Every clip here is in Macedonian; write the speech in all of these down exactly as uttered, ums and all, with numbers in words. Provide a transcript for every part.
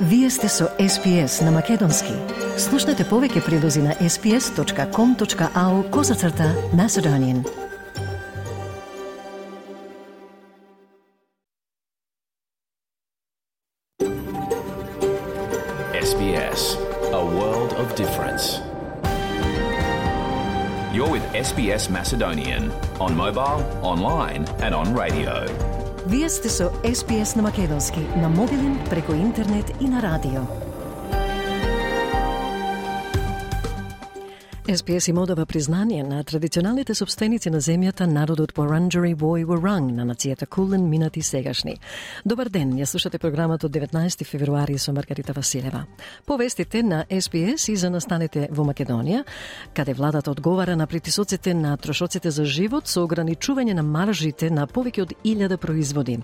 Вие сте со Ес Би Ес на Македонски. Слушнете повеќе прилози на ес би ес точка ком точка ау козацрта Macedonian. Ес Би Ес, a world of difference. You're with Ес Би Ес Macedonian on mobile, online and on radio. Вие сте со Ес Би Ес на Македонски, на мобилен, преку интернет и на радио. Ес Би Ес им одава признание на традиционалните собственици на земјата, народот Wurundjeri Woi Wurrung, на нацијата Кулен, минати сегашни. Добар ден, ја слушате програмата од деветнаесети февруари со Маргарита Василева. Повестите на Ес Би Ес и за настанете во Македонија, каде владата одговара на притисоците на трошоците за живот со ограничување на маржите на повеќе од илјада производи.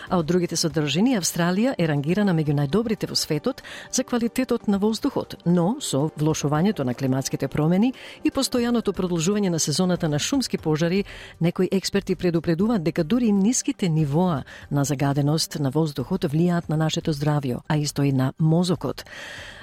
А од другите содржини, Австралија е рангирана меѓу најдобрите во светот за квалитетот на воздухот, но со влошувањето на климатските промени и постојаното продолжување на сезоната на шумски пожари, некои експерти предупредуваат дека дури ниските нивоа на загаденост на воздухот влијаат на нашето здравје, а исто и на мозокот.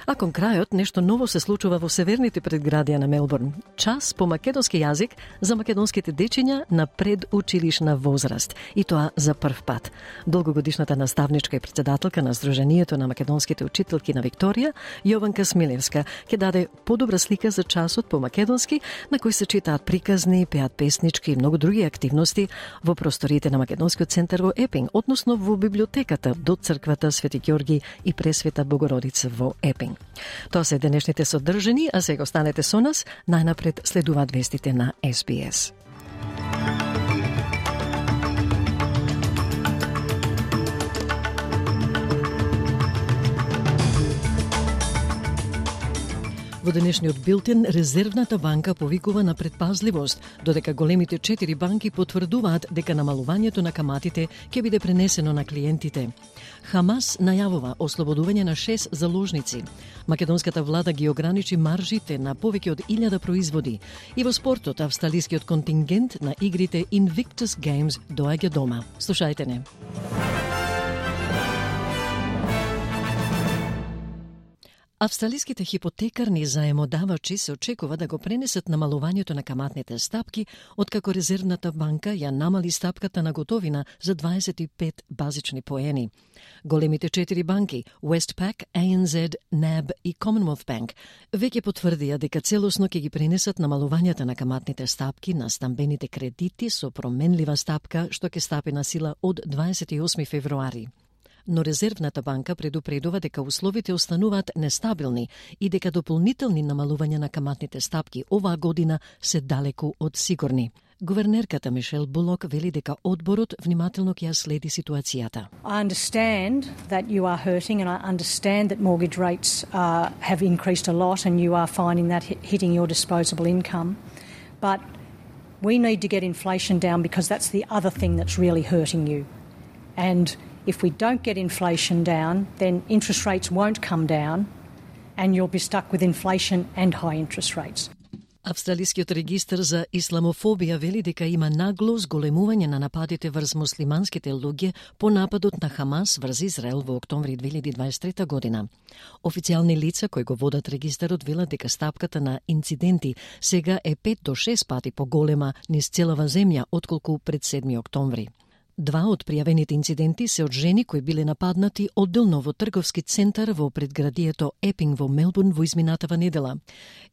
А кон крајот, нешто ново се случува во северните предградија на Мелбурн. Час по македонски јазик за македонските дечиња на предучилишна возраст. И тоа за прв пат. Долгогодишната наставничка и председателка на Сдруженијето на македонските учителки на Викторија, Јованка Смилевска, ќе даде подобра слика за часот по македонски, на кој се читаат приказни, пеат песнички и многу други активности во просторите на Македонскиот центар во Епинг, односно во библиотеката до црквата Свети Ѓорги и Пресвета Богородица во Епинг. Тоа се денешните содржини, а сега останете со нас, најнапред следуваат вестите на Ес Би Ес. Во денешниот билтен, Резервната банка повикува на предпазливост, додека големите четири банки потврдуваат дека намалувањето на каматите ќе биде пренесено на клиентите. Хамас најавува ослободување на шест заложници. Македонската влада ги ограничи маржите на повеќе од илјада производи. И во спортот, австралискиот контингент на игрите Invictus Games доаѓа дома. Слушајте не. Австралиските хипотекарни заемодавачи се очекува да го пренесат намалувањето на каматните стапки, откако Резервната банка ја намали стапката на готовина за дваесет и пет базични поени. Големите четири банки, Westpac, А Ен Зед, неб и Commonwealth Bank, веќе потврдија дека целосно ќе ги пренесат намалувањата на каматните стапки на стамбените кредити со променлива стапка, што ќе стапи на сила од дваесет и осми февруари. Но Резервната банка предупредува дека условите остануваат нестабилни и дека дополнителни намалувања на каматните стапки оваа година се далеку од сигурни. Гувернерката Мишел Булок вели дека одборот внимателно ќе ја следи ситуацијата. I understand that you are hurting and I understand that mortgage rates uh, have increased a lot and you are finding that hitting your disposable income. But we need to get inflation down because that's the other thing that's really hurting you. And if we don't get inflation down, then interest rates won't come down and you'll be stuck with inflation and high interest rates. Австралискиот регистар за исламофобија вели дека има нагло зголемување на нападите врз муслиманските луѓе по нападот на Хамас врз Израел во октомври две илјади дваесет и трета година. Официјални лица кои го водат регистарот велат дека стапката на инциденти сега е пет до шест пати поголема низ целава земја отколку пред седми октомври. Два од пријавените инциденти се од жени кои биле нападнати одделно во трговски центар во предградието Епинг во Мелбурн во изминатава недела.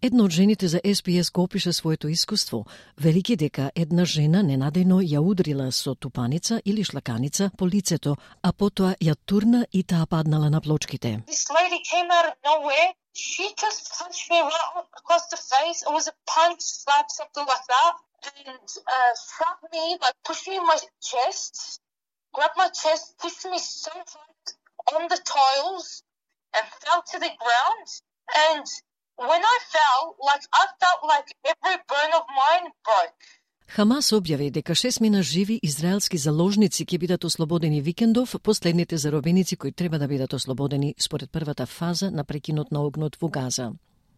Една од жените за Ес Би Ес го опиша своето искуство, велики дека една жена ненадејно ја удрила со тупаница или шлаканица по лицето, а потоа ја турна и таа паднала на плочките. This lady came out of nowhere. She just punched me right across the face. It was a punch, slap, something like that. And uh, shot me, like pushed me in my chest, grabbed my chest, pushed me so hard on the tiles and fell to the ground. And when I fell, like I felt like every bone of mine broke. Хамас објави дека шестмина живи израелски заложници ќе бидат ослободени викендов, последните заробеници кои треба да бидат ослободени според првата фаза на прекинот на огнот во Газа.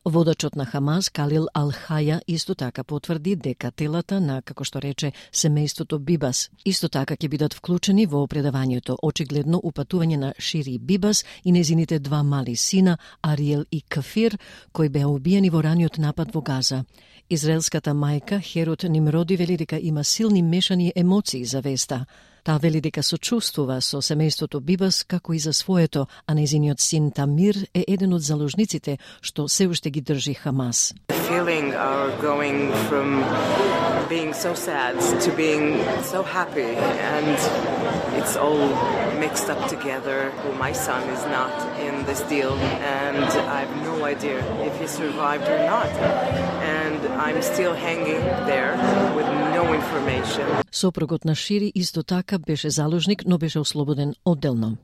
Водачот на Хамас, Калил Ал-Хаја, исто така потврди дека телата на, како што рече, семејството Бибас исто така ќе бидат вклучени во предавањето, очигледно упатување на Шири Бибас и незините два мали сина, Ариел и Кафир, кои беа убиени во раниот напад во Газа. Израелската мајка Херот Нимроди вели дека има силни мешани емоции за веста. Таа вели дека сочувствува со семејството Бибас како и за своето, а незиниот син Тамир е еден од заложниците што се уште ги држи Хамас. Feeling are going from being so sad to being so happy, and it's all mixed up together. My son is not in this deal, and I have no idea if he survived or not. And I'm still hanging there with no information. Сопругот на Шири исто така беше заложник, но беше ослободен одделно.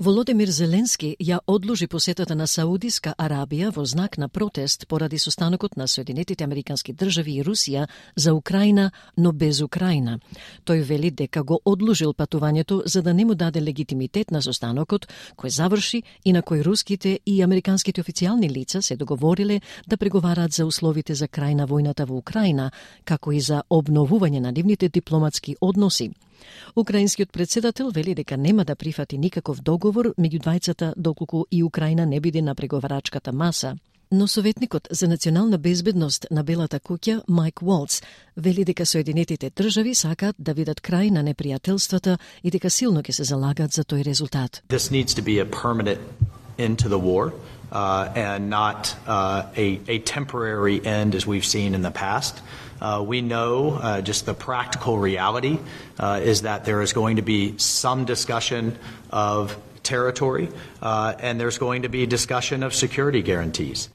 Володимир Зеленски ја одложи посетата на Саудиска Арабија во знак на протест поради состанокот на Соединетите Американски држави и Русија за Украина, но без Украина. Тој вели дека го одложил патувањето за да не му даде легитимитет на состанокот, кој заврши и на кој руските и американските официјални лица се договориле да преговараат за условите за крај на војната во Украина, како и за обновување на нивните дипломатски односи. Украинскиот председател вели дека нема да прифати никаков договор меѓу двајцата доколку и Украина не биде на преговарачката маса. Но советникот за национална безбедност на Белата куќа Майк Уолц вели дека Соединетите држави сакаат да видат крај на непријателствата и дека силно ќе се залагаат за тој резултат. This needs to be a permanent end to the war uh, and not uh, a, a temporary end as we've seen in the past. Uh, we know uh, just the practical reality uh, is that there is going to be some discussion of territory uh, and there's going to be discussion of security guarantees.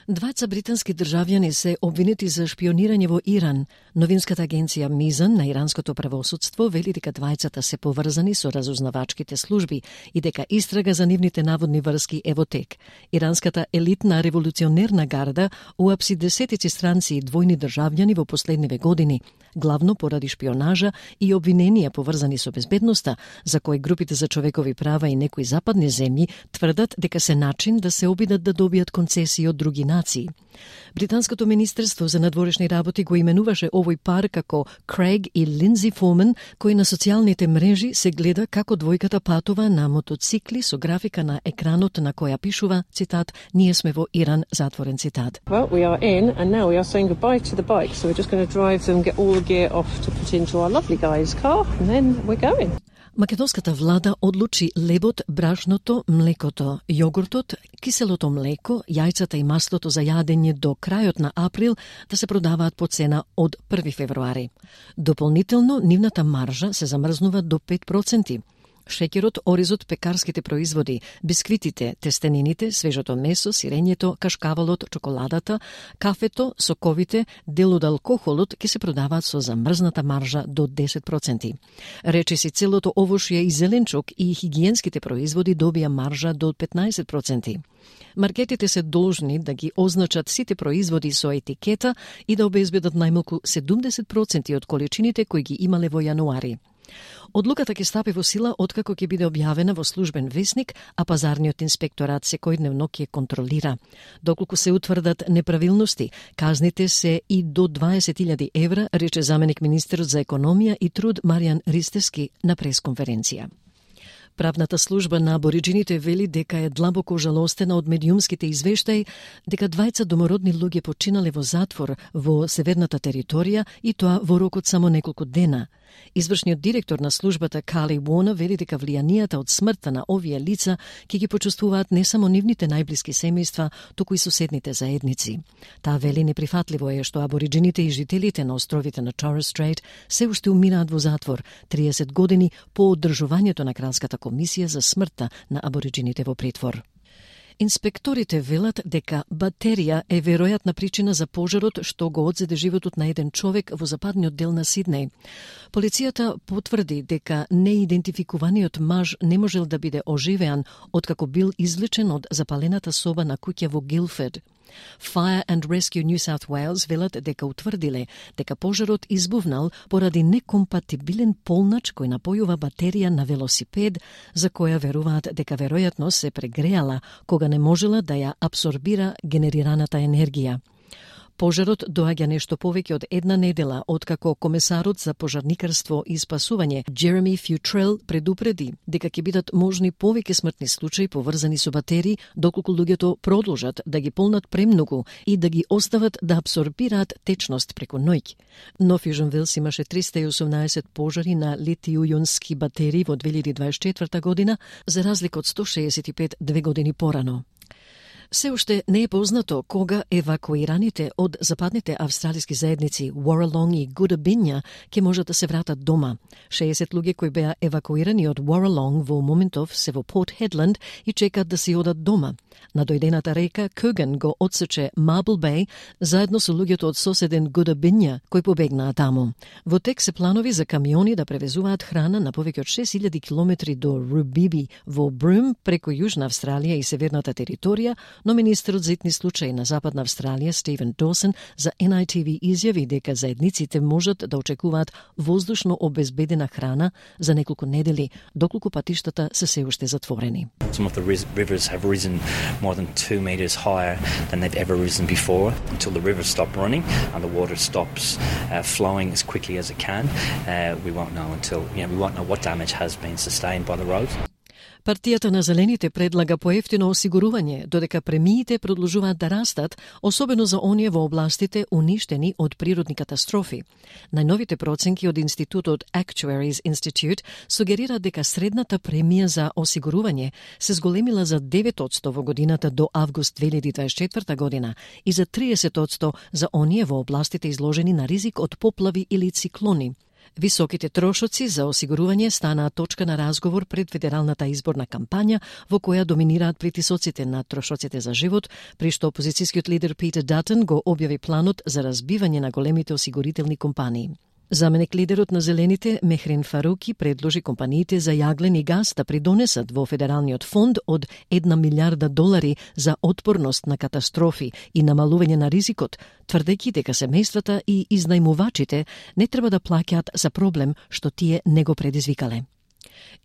Двајца британски државјани се обвинети за шпионирање во Иран. Новинската агенција Мизан на иранското правосудство вели дека двајцата се поврзани со разузнавачките служби и дека истрага за нивните наводни врски е во тек. Иранската елитна револуционерна гарда уапси десетици странци и двојни државјани во последниве години, главно поради шпионажа и обвиненија поврзани со безбедноста, за кои групите за човекови права и некои западни земји тврдат дека се начин да се обидат да добијат концесии од други нации. Британското министерство за надворешни работи го именуваше овој пар како Крейг и Линдзи Форман, кој на социјалните мрежи се гледа како двојката патува на мотоцикли со графика на екранот на која пишува, цитат, "Ние сме во Иран", затворен цитат. Well, we are in and now we are saying goodbye to the bike, so we're just going to drive them, get all the gear off to put into our lovely guy's car, and then we're going. Македонската влада одлучи лебот, брашното, млекото, јогуртот, киселото млеко, јајцата и маслото за јадење до крајот на април да се продаваат по цена од први февруари. Дополнително, нивната маржа се замрзнува до пет проценти. Шеќерот, оризот, пекарските производи, бисквитите, тестенините, свежото месо, сирењето, кашкавалот, чоколадата, кафето, соковите, дел од алкохолот ќе се продаваат со замрзната маржа до десет проценти. Речиси целото овошје и зеленчук и хигиенските производи добија маржа до петнаесет проценти. Маркетите се должни да ги означат сите производи со етикета и да обезбедат најмалку седумдесет проценти од количините кои ги имале во јануари. Одлуката ќе стапи во сила откако ќе биде објавена во службен весник, а пазарниот инспекторат секојдневно ќе контролира. Доколку се утврдат неправилности, казните се и до дваесет илјади евра, рече заменик министерот за економија и труд Маријан Ристевски на пресконференција. Правната служба на абориджините вели дека е длабоко жалостена од медиумските извештаи дека двајца домородни луѓе починале во затвор во северната територија и тоа во рокот само неколку дена. Извршниот директор на службата Кали Уона вели дека влијанијата од смртта на овие лица ќе ги почувствуваат не само нивните најблиски семејства, туку и соседните заедници. Таа вели неприфатливо е што абориджините и жителите на островите на Торрес Стрейт се уште умираат во затвор триесет години по одржувањето на кралската комисија за смртта на абориджините во притвор. Инспекторите велат дека батерија е веројатна причина за пожарот што го одзеде животот на еден човек во западниот дел на Сиднеј. Полицијата потврди дека неидентификуваниот маж не можел да биде оживеан откако бил извлечен од запалената соба на куќа во Гилфед. Fire and Rescue New South Wales велат дека утврдиле дека пожарот избувнал поради некомпатибилен полнач кој напојува батерија на велосипед, за која веруваат дека веројатно се прегреала кога не можела да ја абсорбира генерираната енергија. Пожарот доаѓа нешто повеќе од една недела откако комесарот за пожарникарство и спасување Джереми Фјутрел предупреди дека ќе бидат можни повеќе смртни случаи поврзани со батерии доколку луѓето продолжат да ги полнат премногу и да ги остават да абсорбираат течност преку ноќ. Но Fusion Wells имаше триста и осумнаесет пожари на литијунски батерии во две илјади дваесет и четврта година, за разлика од сто шеесет и пет две години порано. Се уште не е познато кога евакуираните од западните австралиски заедници Warralong и Goodoobinja ќе можат да се вратат дома. шеесет луѓе кои беа евакуирани од Warralong во моментов се во Port Hedland и чекаат да си одат дома. Надојдената река Куган го отсече Marble Bay заедно со луѓето од соседен Goodoobinja кои побегнаа таму. Во тек се планови за камиони да превезуваат храна на повеќе од шест илјади километри до Rubibi во Broome преку Јужна Австралија и северната територија, но министерот за итни случаи на Западна Австралија Стивен Доусон за Ен Ај Ти Ви изјави дека заедниците можат да очекуваат воздушно обезбедена храна за неколку недели, доколку патиштата се се уште затворени. Some of the rivers have risen more than two meters higher than they've ever risen before. Until the rivers stop running and the water stops uh, flowing as quickly as it can, uh, we won't know until, you know, we won't know what damage has been sustained by the roads. Партијата на Зелените предлага поевтино осигурување, додека премиите продолжуваат да растат, особено за оние во областите уништени од природни катастрофи. Најновите проценки од институтот Actuaries Institute сугерираат дека средната премија за осигурување се зголемила за девет одсто во годината до август две илјади дваесет и четврта година и за триесет одсто за оние во областите изложени на ризик од поплави или циклони. Високите трошоци за осигурување станаа точка на разговор пред федералната изборна кампања во која доминираат притисоците на трошоците за живот, при што опозицијскиот лидер Питер Датон го објави планот за разбивање на големите осигурителни компании. Заменик лидерот на Зелените Мехрин Фаруки предложи компаниите за јаглен и газ да придонесат во федералниот фонд од една милиарда долари за отпорност на катастрофи и намалување на ризикот, тврдејќи дека семејствата и изнајмувачите не треба да плаќаат за проблем што тие не го предизвикале.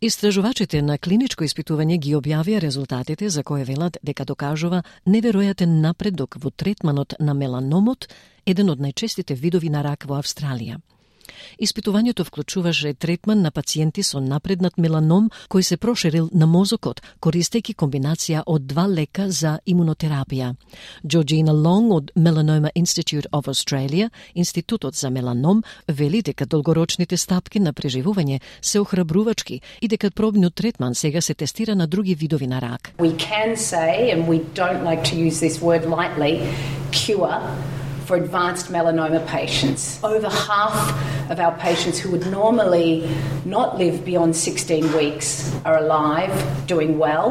Истражувачите на клиничко испитување ги објавија резултатите за кои велат дека докажува неверојатен напредок во третманот на меланомот, еден од најчестите видови на рак во Австралија. Испитувањето вклучуваше третман на пациенти со напреднат меланом кој се проширил на мозокот, користејќи комбинација од два лека за имунотерапија. Georgina Long од Melanoma Institute of Australia, Институтот за меланом, вели дека долгорочните стапки на преживување се охрабрувачки и дека пробниот третман сега се тестира на други видови на рак. We can say, and we don't like to use this word lightly, cure for advanced melanoma patients. Over half of our patients who would normally not live beyond sixteen weeks are alive, doing well,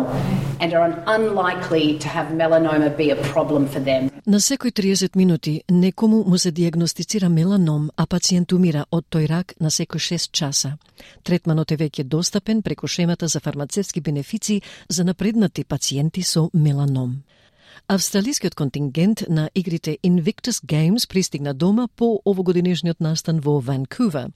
and are unlikely to have melanoma be a problem for them. На секој триесет минути некому му се диагностицира меланом, а пациент умира од тој рак на секој шест часа. Третманот е веќе достапен преку шемата за фармацевтски бенефиции за напреднати пациенти со меланом. Австралискиот контингент на игрите Invictus Games пристигна дома по овогодинешниот настан во Ванкувер.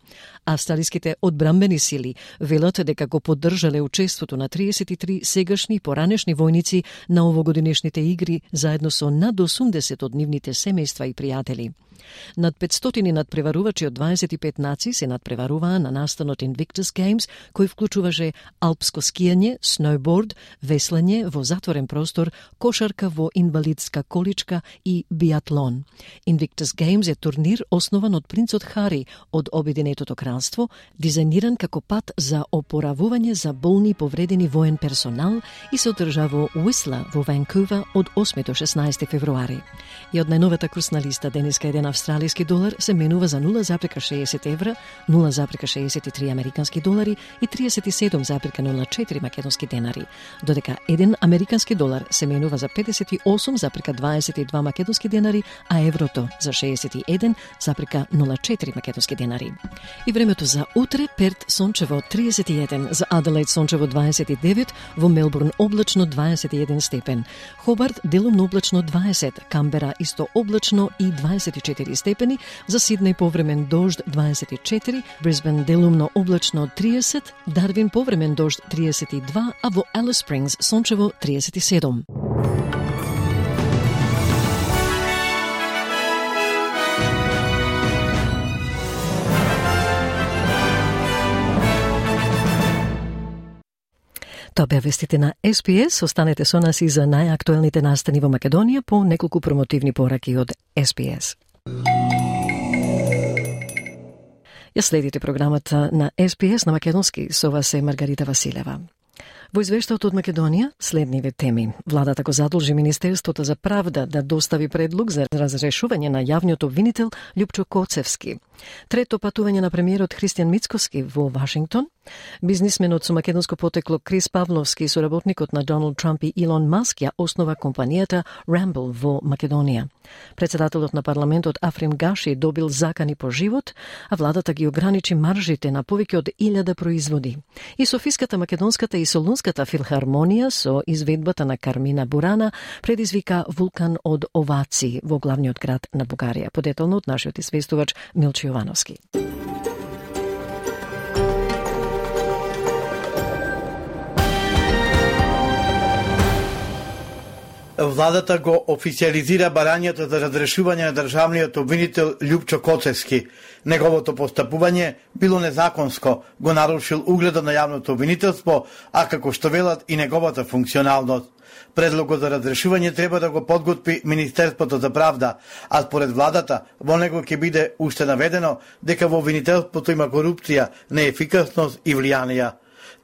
Австралиските одбрамбени сили велат дека го поддржале учеството на триесет и три сегашни поранешни војници на овогодинешните игри заедно со над осумдесет од нивните семејства и пријатели. Над петстотини надпреварувачи од дваесет и пет нации се надпреваруваа на настанот Invictus Games, кој вклучуваше алпско скијање, сноуборд, веслање во затворен простор, кошарка во инвалидска количка и биатлон. Invictus Games е турнир основан од принцот Хари од Обединетото кралство, дизајниран како пат за опоравување за болни и повредени воен персонал и се одржа во Уисла во Ванкувер од осми до шеснаесети февруари. И од најновата курсна листа денеска еден австралиски долар се менува за нула запирка шеесет евра, нула запирка шеесет и три американски долари и триесет и седум запирка нула четири македонски денари, додека еден американски долар се менува за педесет и осум запрека дваесет и два македонски денари, а еврото за шеесет и еден запрека нула четири македонски денари. И времето за утре: Перт сончево триесет и еден, за Аделаид сончево дваесет и девет, во Мелбурн облачно дваесет и еден степен, Хобарт делумно облачно дваесет, Камбера исто облачно и дваесет и четири степени, за Сиднеј повремен дожд дваесет и четири, Брисбен делумно облачно триесет, Дарвин повремен дожд триесет и два, а во Алис Спрингс сончево триесет и седум. Тоа беа вестите на Ес Би Ес. Останете со нас и за најактуелните настани во Македонија по неколку промотивни пораки од Ес Би Ес. Ја следите програмата на Ес Би Ес на македонски. Со вас е Маргарита Василева. Во извештајот од Македонија следниве теми. Владата го задолжи Министерството за правда да достави предлог за разрешување на јавниот обвинител Љупчо Коцевски. Трето патување на премиерот Христијан Мицкоски во Вашингтон. Бизнисменот со македонско потекло Крис Павловски, соработникот на Доналд Трамп и Илон Маск, ја основа компанијата Рамбл во Македонија. Председателот на парламентот Африм Гаши добил закани по живот, а владата ги ограничи маржите на повеќе од илјада производи. И Софиската, Македонската и Солунската филхармонија со изведбата на Кармина Бурана предизвика вулкан од овации во главниот град на Бугарија. Подетално од нашиот известувач Милчо Јовановски. Владата го официализира барањето за разрешување на државниот обвинител Љупчо Коцевски. Неговото постапување било незаконско, го нарушил угледот на јавното обвинителство, а како што велат и неговата функционалност. Предлогот за разрешување треба да го подготви Министерството за правда, а според владата во него ќе биде уште наведено дека во обвинителството има корупција, неефикасност и влијанија.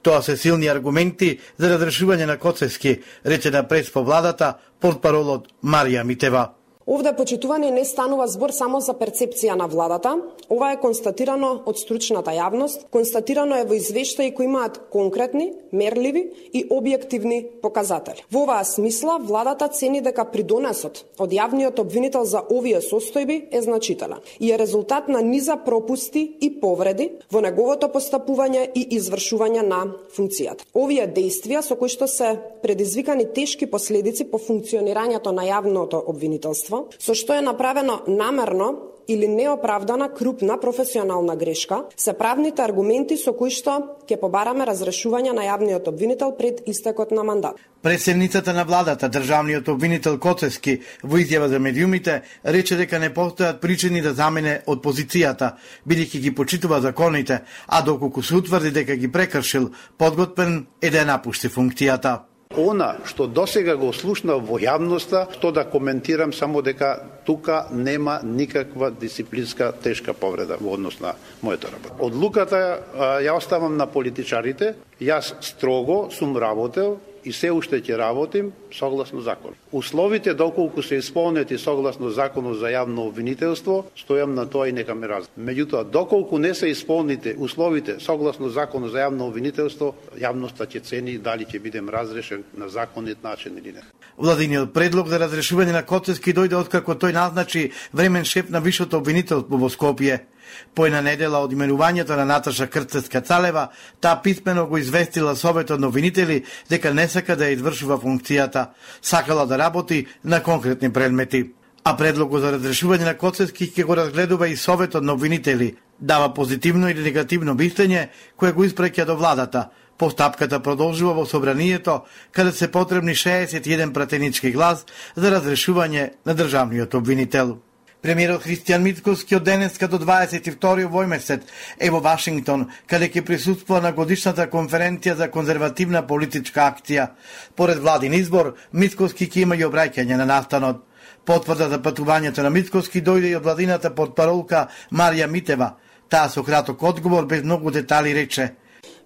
Тоа се силни аргументи за разрешување на Коцевски, рече на прес по владата портпаролот Марија Митева. Овде почитување не станува збор само за перцепција на владата, ова е констатирано од стручната јавност, констатирано е во извештаи кои имаат конкретни, мерливи и објективни показатели. Во оваа смисла, владата цени дека придонесот од јавниот обвинител за овие состојби е значителен и е резултат на низа пропусти и повреди во неговото постапување и извршување на функцијата. Овие дејствија со кои што се предизвикани тешки последици по функционирањето на јавното обвинителство, со што е направено намерно или неоправдана крупна професионална грешка, се правните аргументи со кои што ќе побараме разрешување на јавниот обвинител пред истекот на мандат. Председницата на владата, државниот обвинител Коцевски, во изјава за медиумите, рече дека не постојат причини да замене од позицијата, бидејќи ги почитува законите, а доколку се утврди дека ги прекршил, подготвен е да ја напушти функцијата. Она што досега го слушна во јавноста, што да коментирам само дека тука нема никаква дисциплинска тешка повреда во однос на мојата работа. Одлуката ја оставам на политичарите, јас строго сум работел и се уште ќе работим согласно закон. Условите доколку се исполнети согласно законот за јавно обвинителство, стојам на тоа и нека ме разберат. Меѓутоа, доколку не се исполните условите согласно законот за јавно обвинителство, јавноста ќе цени дали ќе бидем разрешен на законит начин или не. Владиниот предлог за разрешување на Коцевски дојде откако тој назначи времен шеф на Вишото обвинителство во Скопје. Поена недела од именувањето на Наташа Крстец-Кацалева, таа писмено го известила Советот на обвинители дека не сака да ја извршува функцијата, сакала да работи на конкретни предмети. А предлогот за разрешување на Коцевски ќе го разгледува и Советот на обвинители, дава позитивно или негативно мислење кое го испраќа до владата. Постапката продолжува во собранието, каде се потребни шеесет и еден пратенички глас за разрешување на државниот обвинител. Премиерот Христијан Мицкоски од денеска до дваесет и втори овој месец е во Вашингтон, каде ќе присуствува на годишната конференција за конзервативна политичка акција. Поред владин избор, Мицкоски ќе има и обраќање на настанот. Потврда за патувањето на Мицкоски дојде и од владината портпаролка Марија Митева. Таа со краток одговор без многу детали рече: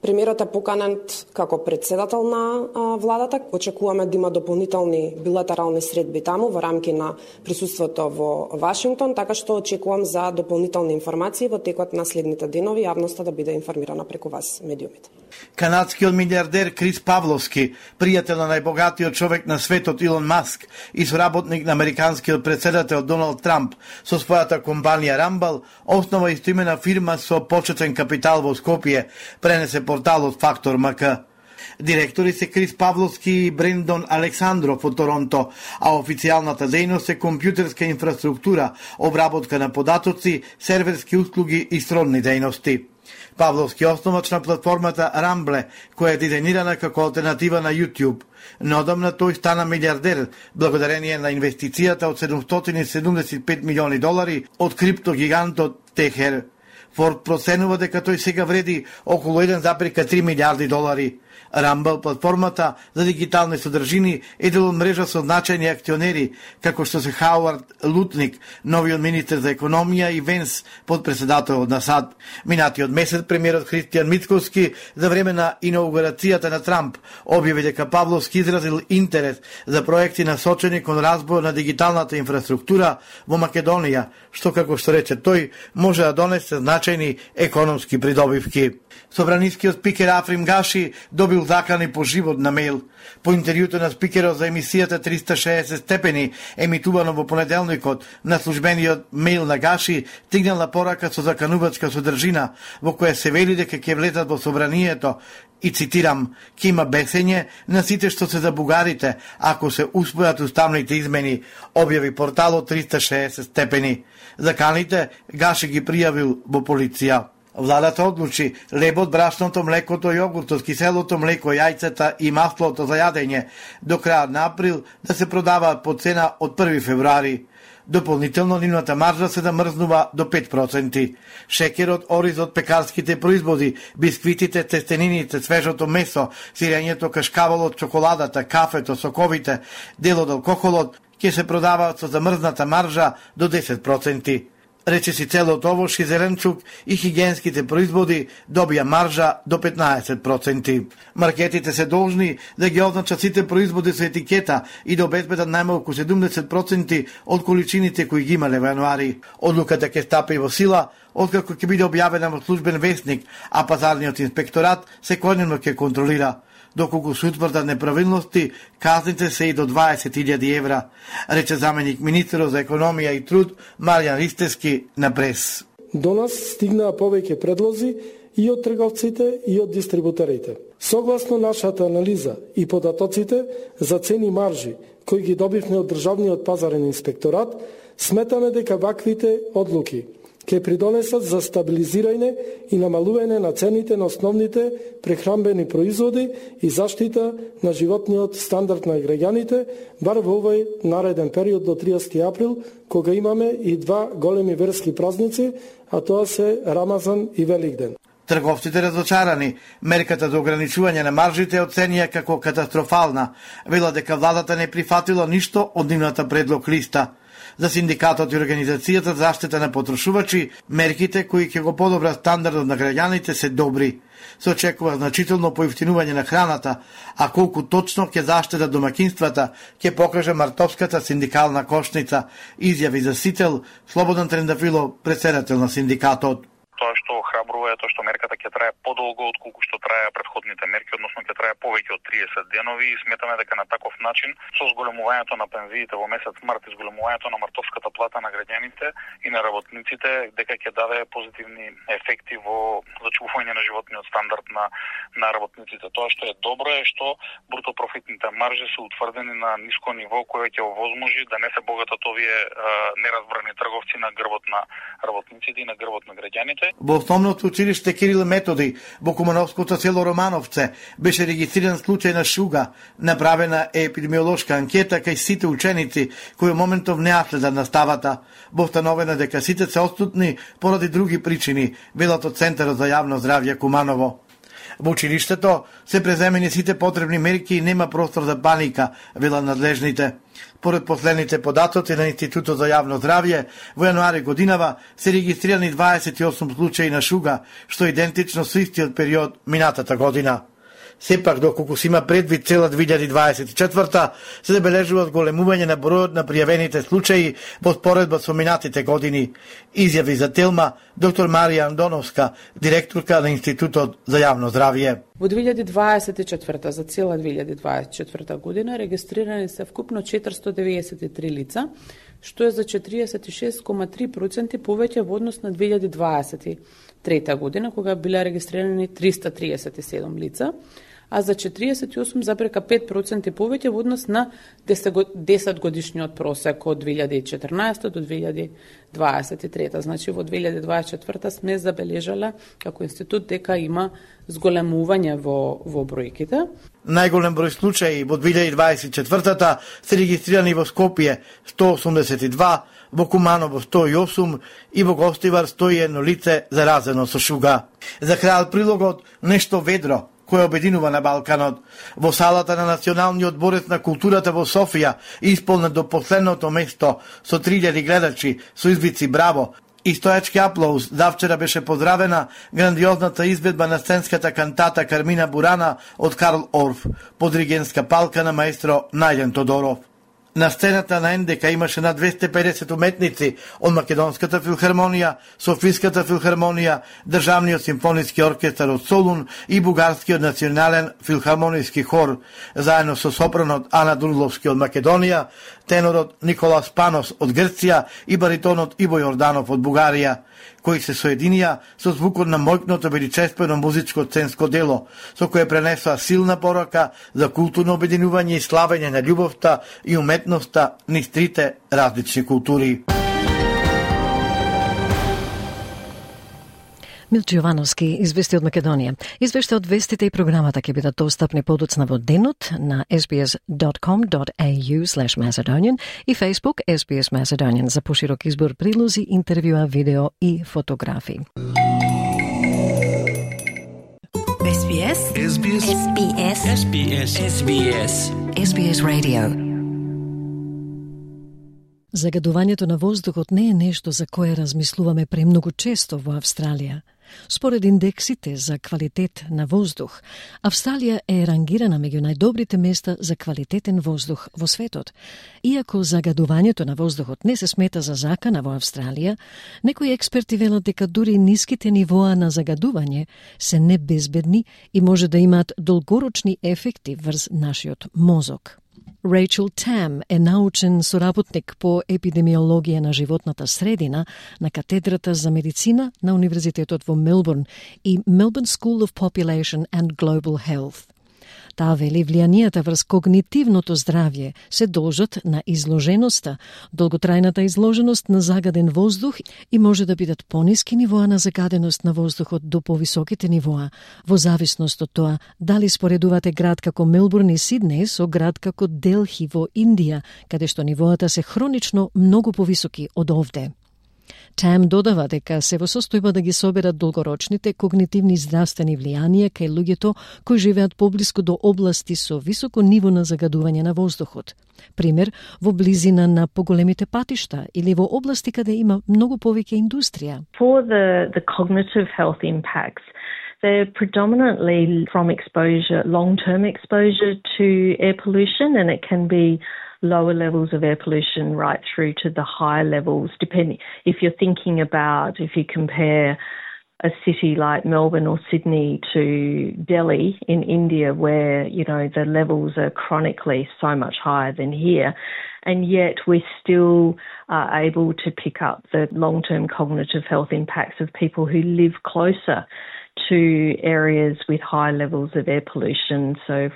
Премиерот е поканен како председател на а, владата. Очекуваме да има дополнителни билатерални средби таму во рамки на присуството во Вашингтон, така што очекувам за дополнителни информации во текот на следните денови, јавноста да биде информирана преку вас, медиумите. Канадскиот милиардер Крис Павловски, пријател на најбогатиот човек на светот Илон Маск и соработник на американскиот председател Доналд Трамп, со својата компанија Rumble, основа истоимена фирма со почетен капитал во Скопје, пренесе порталот Фактор МК. Директори се Крис Павловски и Брендон Александров од Торонто, а официјалната дејност е компјутерска инфраструктура, обработка на податоци, серверски услуги и сродни дејности. Павловски основач на платформата Rumble, која е дизајнирана како алтернатива на YouTube. Неодамна тој стана милиардер благодарение на инвестицијата од седумстотини и седумдесет и пет милиони долари од криптогигантот Техер. Форд проценува дека тој сега вреди околу еден зарез и три милиарди долари. Rumble, платформата за дигитални содржини, е дел од мрежа со значајни акционери, како што се Хауард Лутник, новиот министер за економија, и Венс, подпредседателот на САД. Минатиот месец премиерот Христијан Мицкоски за време на инаугурацијата на Трамп објави дека Павловски изразил интерес за проекти насочени кон разбој на дигиталната инфраструктура во Македонија, што, како што рече тој, може да донесе значајни економски придобивки. Собранискиот спикер Африм Гаши добил закани по живот на мејл. По интервјуто на спикерот за емисијата триста и шеесет степени, емитувано во понеделникот, на службениот мејл на Гаши стигнала порака со заканувачка содржина, во која се вели дека ќе влезат во собранието и, цитирам, ќе има бесење на сите што се за бугарите ако се усвојат уставните измени, објави порталот триста и шеесет степени. Заканите Гаши ги пријавил во полиција. Владата одлучи лебот, брашното, млекото, јогуртот, киселото млеко, јајцата и маслото за јадење до крајот на април да се продаваат по цена од први февруари. Дополнително нивната маржа се замрзнува до пет проценти. Шекерот, оризот, пекарските производи, бисквитите, тестенините, свежото месо, сирењето, кашкаволот, чоколадата, кафето, соковите, дел од алкохолот ќе се продаваат со замрзната маржа до десет проценти. Речиси целот овош и зеленчук и хигиенските производи добија маржа до петнаесет проценти. Маркетите се должни да ги означат сите производи со етикета и да обезбедат најмалку седумдесет проценти од количините кои ги имале во јануари. Одлуката ќе стапи во сила откако ќе биде објавена во службен весник, а пазарниот инспекторат секојдневно ќе контролира. Доколку се утврдат неправилности, казните се и до дваесет илјади евра, рече заменик министерот за економија и труд Маријан Ристевски на прес. До нас стигнаа повеќе предлози и од трговците и од дистрибутерите. Согласно нашата анализа и податоците за цени маржи кои ги добивме од државниот пазарен инспекторат, сметаме дека ваквите одлуки ќе придонесат за стабилизирање и намалување на цените на основните прехранбени производи и заштита на животниот стандард на граѓаните, бар во овој нареден период до триесети април, кога имаме и два големи верски празници, а тоа се Рамазан и Великден. Трговците разочарани. Мерката за ограничување на маржите оценија како катастрофална. Вела дека владата не прифатила ништо од нивната предлог листа. За синдикатот и Организацијата за заштита на потрошувачи, мерките кои ќе го подобрат стандардот на граѓаните се добри. Се очекува значително поевтинување на храната, а колку точно ќе заштитат домакинствата, ќе покаже мартовската синдикална кошница, изјави за Сител Слободан Трендафилов, председател на синдикатот. Тоа што храбрува е тоа што мерката ќе трае подолго отколку што траја претходните мерки, односно ќе трае повеќе од триесет денови, и сметаме дека на таков начин со зголемувањето на пензиите во месец март и зголемувањето на мартовската плата на граѓаните и на работниците, дека ќе даде позитивни ефекти во зачувување на животниот стандард на на работниците. Тоа што е добро е што бруто профитните маржи се утврдени на ниско ниво кое ќе овозможи да не се богатат овие а, неразбрани трговци на грбот на работниците и на грбот на граѓаните. Во основното училиште Кирил Методи во Кумановското село Романовце беше регистриран случај на шуга. Направена е епидемиолошка анкета кај сите ученици кои моментов не следат наставата. Во установено дека сите се отсутни поради други причини, велат од Центарот за јавно здравје Куманово. Во училиштето се преземени сите потребни мерки и нема простор за паника, велат надлежните. Поред последните податоци на Институтот за јавно здравје, во јануари годинава се регистрирани дваесет и осум случаи на шуга, што е идентично со истиот период минатата година. Сепак, доколку се има предвид цела две илјади дваесет и четврта, се забележува зголемување на бројот на пријавените случаи во споредба со минатите години, изјави за Телма доктор Марија Андоновска, директорка на Институтот за јавно здравје. Во две илјади дваесет и четврта, за цела две илјади дваесет и четврта година, регистрирани се вкупно четиристо деведесет и три лица, што е за четиридесет и шест зарез три проценти повеќе во однос на две илјади дваесет и трета година, кога биле регистрирани триста триесет и седум лица, а за четиридесет и осум зарез пет проценти повеќе во однос на десет годишниот просек од две илјади и четрнаесета до две илјади дваесет и трета. Значи во две илјади дваесет и четврта сме забележале како институт дека има зголемување во, во бројките. Најголем број случаи во две илјади дваесет и четвртата се регистрирани во Скопје сто осумдесет и два, во Куманово сто и осум и во Гостивар сто и едно лице заразено со шуга. За крај прилогот нешто ведро кој обединува на Балканот. Во салата на Националниот дворец на културата во Софија, исполнет до последното место со три илјади гледачи со извици браво и стојачки аплауз, давчера беше поздравена грандиозната изведба на сценската кантата Кармина Бурана од Карл Орф, под диригентска палка на маестро Најден Тодоров. На сцената на Н Д К имаше на двесте и педесет уметници од Македонската филхармонија, Софиската филхармонија, Државниот симфониски оркестар од Солун и Бугарскиот национален филхармониски хор, заедно со сопранот Ана Дурловски од Македонија, тенорот Николас Панос од Грција и баритонот Иво Јорданов од Бугарија, кои се соединија со звукот на мојкното величествено музичко сценско дело, со кое пренесоа силна порака за културно обединување и славење на љубовта и уметноста низ трите различни култури. Милчо Јовановски извести од Македонија. Извешта од вестите и програмата ќе бидат достапни подоцна во денот на ес би ес dot com dot a u slash macedonian и Facebook ес би ес Macedonian за поширок избор прилози, интервјуа, видео и фотографии. ес би ес ес би ес ес би ес ес би ес ес би ес ес би ес Radio. Загадувањето на воздухот не е нешто за кое размислуваме премногу често во Австралија. Според индексите за квалитет на воздух, Австралија е рангирана меѓу најдобрите места за квалитетен воздух во светот. Иако загадувањето на воздухот не се смета за закана во Австралија, некои експерти велат дека дури ниските нивоа на загадување се небезбедни и може да имаат долгорочни ефекти врз нашиот мозок. Рейчел Там е научен соработник по епидемиологија на животната средина на катедрата за медицина на Универзитетот во Мелбурн и Melbourne School of Population and Global Health. Таа вели влијанијата врз когнитивното здравје се должат на изложеноста, долготрајната изложеност на загаден воздух и може да бидат пониски нивоа на загаденост на воздухот до повисоките нивоа, во зависност од тоа дали споредувате град како Мелбурн и Сиднеј со град како Делхи во Индија, каде што нивоата се хронично многу повисоки од овде. Там додава дека се во состојба да ги соберат долгорочните когнитивни здравствени влијанија кај луѓето кои живеат поблиску до области со високо ниво на загадување на воздухот. Пример, во близина на поголемите патишта или во области каде има многу повеќе индустрија. For the, the cognitive health impacts, they're predominantly from exposure, long-term exposure to air pollution, and it can be lower levels of air pollution right through to the higher levels, depending if you're thinking about, if you compare a city like Melbourne or Sydney to Delhi in India, where, you know, the levels are chronically so much higher than here, and yet we still are able to pick up the long-term cognitive health impacts of people who live closer to areas with high levels of air pollution. So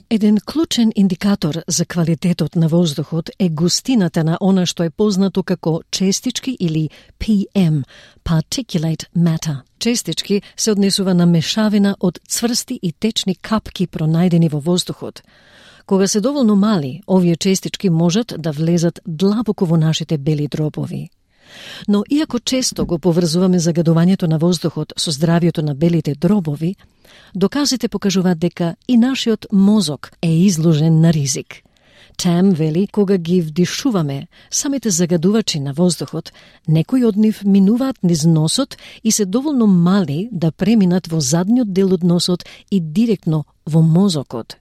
Еден клучен индикатор за квалитетот на воздухот е густината на она што е познато како честички или пи ем, particulate matter. Честички се однесува на мешавина од цврсти и течни капки пронајдени во воздухот. Кога се доволно мали, овие честички можат да влезат длабоко во нашите бели дробови. Но иако често го поврзуваме загадувањето на воздухот со здравјето на белите дробови, доказите покажуваат дека и нашиот мозок е изложен на ризик. Там вели, кога ги вдишуваме самите загадувачи на воздухот, некои од нив минуваат низ носот и се доволно мали да преминат во задниот дел од носот и директно во мозокот.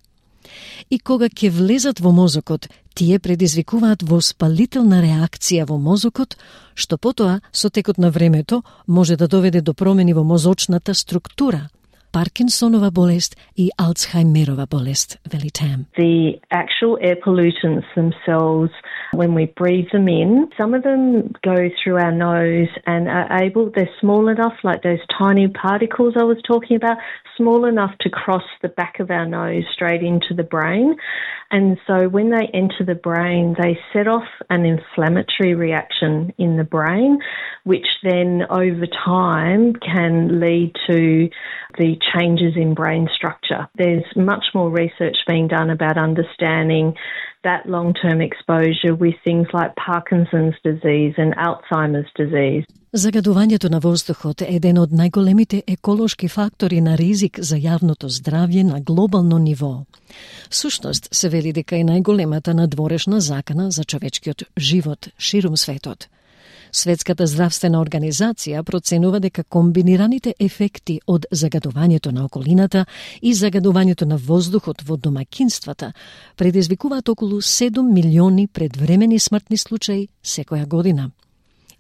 И кога ќе влезат во мозокот, тие предизвикуваат воспалителна реакција во мозокот, што потоа, со текот на времето, може да доведе до промени во мозочната структура, Паркинсонова болест и Алцхаймерова болест, вели Там. The actual air pollutants themselves, when we breathe them in, some of them go through our nose and are able, they're small enough, like those tiny particles I was talking about, small enough to cross the back of our nose straight into the brain. And so when they enter the brain, they set off an inflammatory reaction in the brain, which then over time can lead to the changes in brain structure. There's much more research being done about understanding that long-term exposure with things like Parkinson's disease and Alzheimer's disease. Загадувањето на воздухот е еден од најголемите еколошки фактори на ризик за јавното здравје на глобално ниво. Всушност се вели дека е најголемата надворешна закана за човечкиот живот ширум светот. Светската здравствена организација проценува дека комбинираните ефекти од загадувањето на околината и загадувањето на воздухот во домаќинствата предизвикуваат околу седум милиони предвремени смртни случаи секоја година.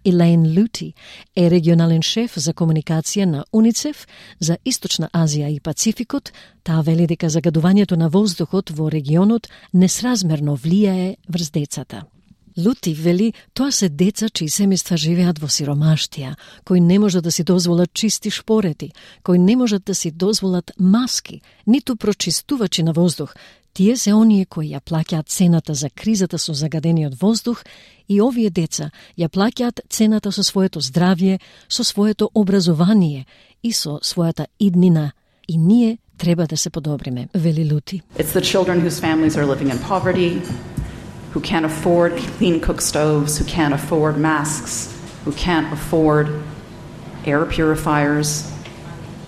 Елейн Лути е регионален шеф за комуникација на УНИЦЕФ за Источна Азија и Пацификот. Таа вели дека загадувањето на воздухот во регионот несразмерно влијае врз децата. Лути вели, тоа се деца чии семејства живеат во сиромаштија, кои не можат да си дозволат чисти шпорети, кои не можат да си дозволат маски, ниту прочистувачи на воздух. Тие се оние кои ја плаќаат цената за кризата со загадениот воздух и овие деца ја плаќаат цената со своето здравје, со своето образование и со својата иднина. И ние треба да се подобриме, вели Лути. It's the children whose families are living in poverty, who can't afford clean cook stoves, who can't afford masks, who can't afford air purifiers.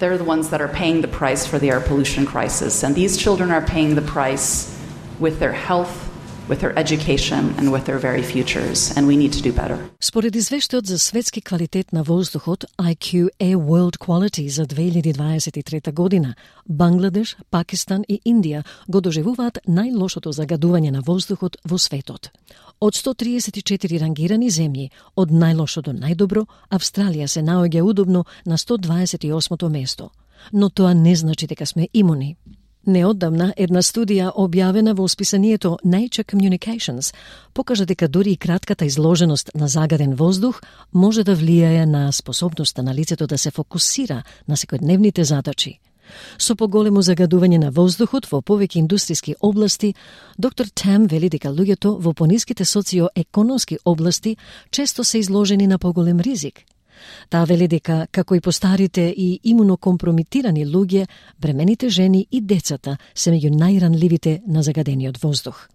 They're the ones that are paying the price for the air pollution crisis. And these children are paying the price with their health, with their education, and with their very futures. And we need to do better. Според извештајот за светски квалитет на воздухот I Q A World Quality за две илјади дваесет и трета година, Бангладеш, Пакистан и Индија го доживуваат најлошото загадување на воздухот во светот. Од сто триесет и четири рангирани земји, од најлошо до најдобро, Австралија се наоѓа удобно на сто дваесет и осмо место. Но тоа не значи дека сме имуни. Неодамна една студија објавена во списанието Nature Communications покажа дека дури и кратката изложеност на загаден воздух може да влијае на способноста на лицето да се фокусира на секојдневните задачи. Со поголемо загадување на воздухот во повеќе индустријски области, доктор Там вели дека луѓето во пониските социоекономски области често се изложени на поголем ризик. Таа вели дека, како и постарите и имунокомпромитирани луѓе, бремените жени и децата се меѓу најранливите на загадениот воздух.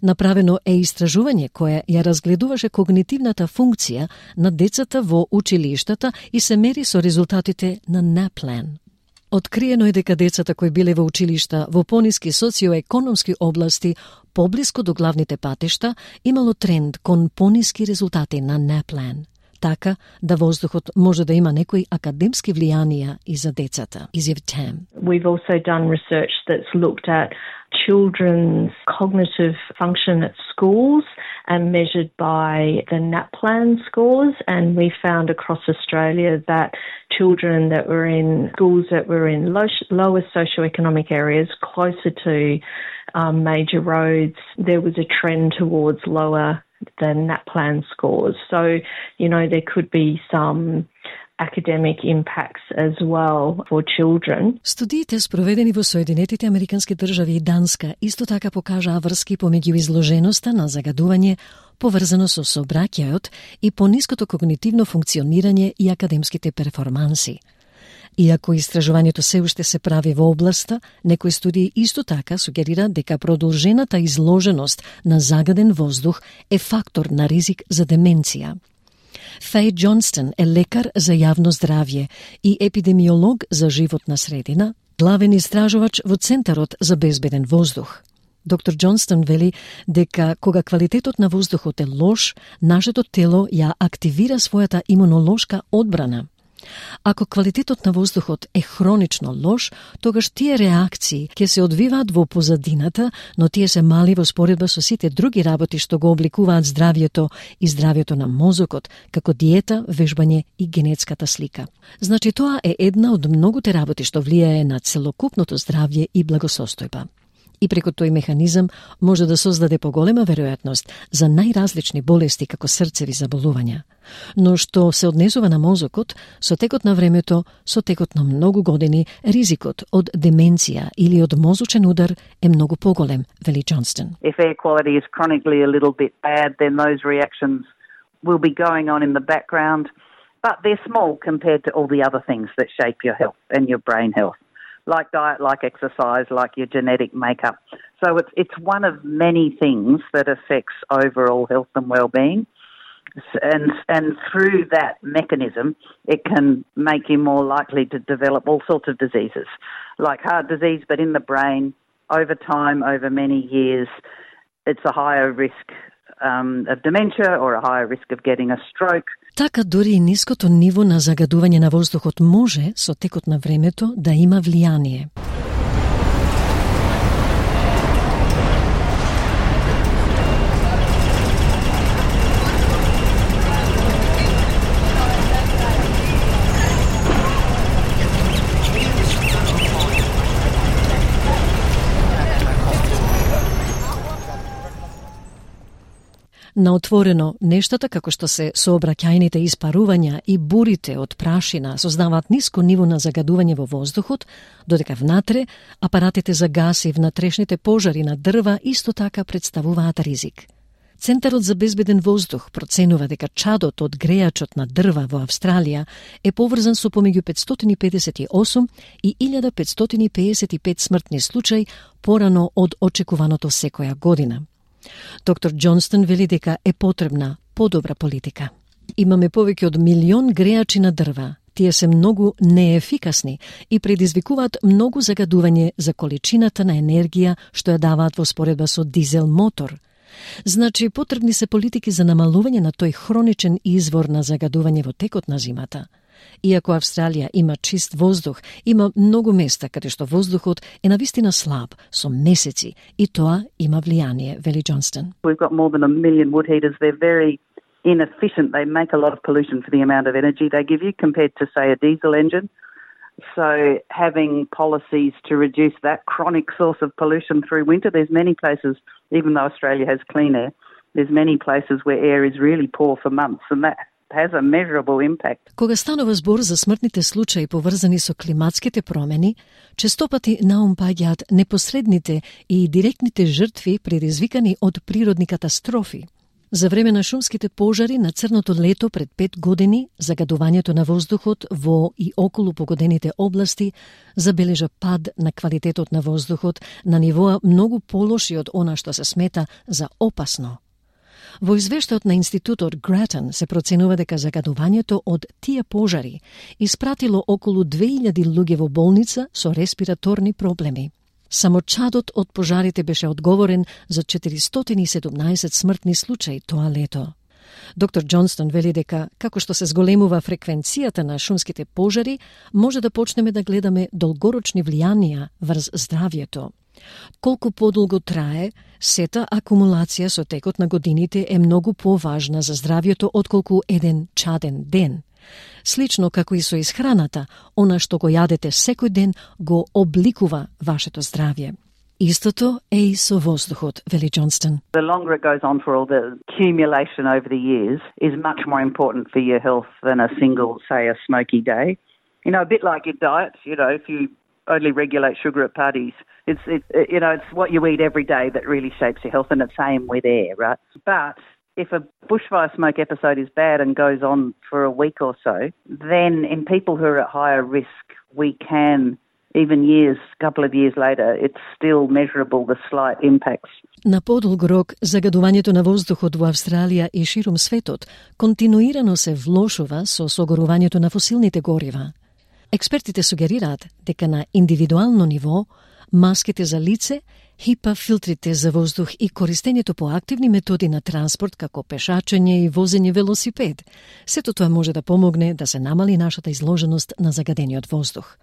Направено е истражување кое ја разгледуваше когнитивната функција на децата во училиштата и се мери со резултатите на NAPLAN. Откриено е дека децата кои биле во училишта во пониски социоекономски области, поблиску до главните патишта, имало тренд кон пониски резултати на NAPLAN. Така да воздухот може да има некои академски влијанија и за децата, изјави Там. We've also done research that's looked at children's cognitive function at schools and measured by the NAPLAN scores, and we found across Australia that children that were in schools that were in low, lower socioeconomic areas, closer to um, major roads, there was a trend towards lower the NAPLAN scores. So, you know, there could be some academic impacts as well for children. Студиите спроведени во Соединетите Американски држави и Данска исто така покажаа врски помеѓу изложеноста на загадување поврзано со сообраќајот и пониското когнитивно функционирање и академските перформанси. Иако истражувањето се уште се прави во областа, некои студии исто така сугерираат дека продолжената изложеност на загаден воздух е фактор на ризик за деменција. Феј Джонстон е лекар за јавно здравје и епидемиолог за животна средина, главен истражувач во Центарот за безбеден воздух. Доктор Джонстон вели дека кога квалитетот на воздухот е лош, нашето тело ја активира својата имунолошка одбрана. Ако квалитетот на воздухот е хронично лош, тогаш тие реакции ќе се одвиваат во позадината, но тие се мали во споредба со сите други работи што го обликуваат здравјето и здравјето на мозокот, како диета, вежбање и генетската слика. Значи тоа е една од многуте работи што влијае на целокупното здравје и благосостојба. И преку тој механизам може да создаде поголема веројатност за најразлични болести како срцеви заболувања. Но што се однесува на мозокот, со текот на времето, со текот на многу години, ризикот од деменција или од мозочен удар е многу поголем, вели Джонстон. If air quality is chronically a little bit bad, then those reactions will be going on in the background, but they're small compared to all the other things that shape your health and your brain health. Like diet, like exercise, like your genetic makeup. So it's it's one of many things that affects overall health and well-being. And and through that mechanism, it can make you more likely to develop all sorts of diseases, like heart disease, but in the brain, over time, over many years, it's a higher risk um, of dementia or a higher risk of getting a stroke. Така дури и ниското ниво на загадување на воздухот може, со текот на времето, да има влијание. На отворено, нештата како што се сообраќајните испарувања и бурите од прашина создаваат ниско ниво на загадување во воздухот, додека внатре апаратите за гас и внатрешните пожари на дрва исто така представуваат ризик. Центарот за безбеден воздух проценува дека чадот од грејачот на дрва во Австралија е поврзан со помеѓу петстотини педесет и осум и илјада петстотини педесет и пет смртни случаи порано од очекуваното секоја година. Доктор Джонстон вели дека е потребна подобра политика. Имаме повеќе од милион грејачи на дрва. Тие се многу неефикасни и предизвикуваат многу загадување за количината на енергија што ја даваат во споредба со дизел мотор. Значи, потребни се политики за намалување на тој хроничен извор на загадување во текот на зимата. Иако Австралија има чист воздух, има многу места каде што воздухот е навистина слаб, со месеци, и тоа има влијание, вели Джонстон. We've got more than a million wood heaters. They're very inefficient. They make a lot of pollution for the amount of energy they give you compared to, say, a diesel engine. So having policies to reduce that chronic source of pollution through winter, there's many places, even though Australia has clean air, there's many places where air is really poor for months, and that has a measurable impact. Кога станува збор за смртните случаи поврзани со климатските промени, честопати наум паѓаат непосредните и директните жртви предизвикани од природни катастрофи. За време на шумските пожари на црното лето пред пет години, загадувањето на воздухот во и околу погодените области забележа пад на квалитетот на воздухот на нивоа многу полоши од она што се смета за опасно. Во извештајот на институтот Grattan се проценува дека загадувањето од тие пожари испратило околу две илјади луѓе во болница со респираторни проблеми. Само чадот од пожарите беше одговорен за четиристотини и седумнаесет смртни случаи тоа лето. Доктор Джонстон вели дека, како што се зголемува фреквенцијата на шумските пожари, може да почнеме да гледаме долгорочни влијанија врз здравјето. Колку подолго трае, сета акумулација со текот на годините е многу поважна за здравјето отколку еден чаден ден. Слично како и со исхраната, она што го јадете секој ден го обликува вашето здравје. Истото е и со воздухот, вели Джонстон. The longer it goes on for all the accumulation over the years is much more important for your health than a single, say, a smoky day. You know, a bit like your diet, you know, if you only regulate sugar at parties, it's, it, you know, it's what you eat every day that really shapes your health, and it's same with air, right? But if a bushfire smoke episode is bad and goes on for a week or so, then in people who are at higher risk, we can even years, a couple of years later, it's still measurable, the slight impacts. На подолг рок, загадувањето на воздухот во Австралија и ширум светот континуирано се влошува со согорувањето на фосилните горива. Експертите сугерираат дека на индивидуално ниво маските за лице, хипа филтрите за воздух и користењето по активни методи на транспорт како пешачење и возење велосипед, сето тоа може да помогне да се намали нашата изложеност на загадениот воздух.